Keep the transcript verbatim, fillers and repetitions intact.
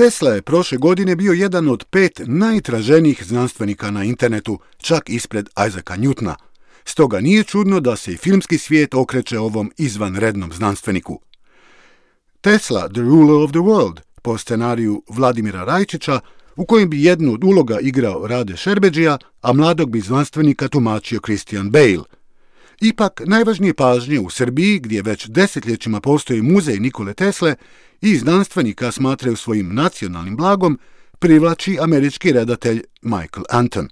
Tesla je prošle godine bio jedan od pet najtraženijih znanstvenika na internetu, čak ispred Isaaca Newtona. Stoga nije čudno da se i filmski svijet okreće ovom izvanrednom znanstveniku. Tesla, The Ruler of the World, po scenariju Vladimira Rajčića, u kojem bi jednu od uloga igrao Rade Šerbedžija, a mladog bi znanstvenika tumačio Christian Bale. Ipak, najvažnije pažnje u Srbiji, gdje već desetljećima postoji muzej Nikole Tesle i znanstvenika smatraju svojim nacionalnim blagom, privlači američki redatelj Michael Anton.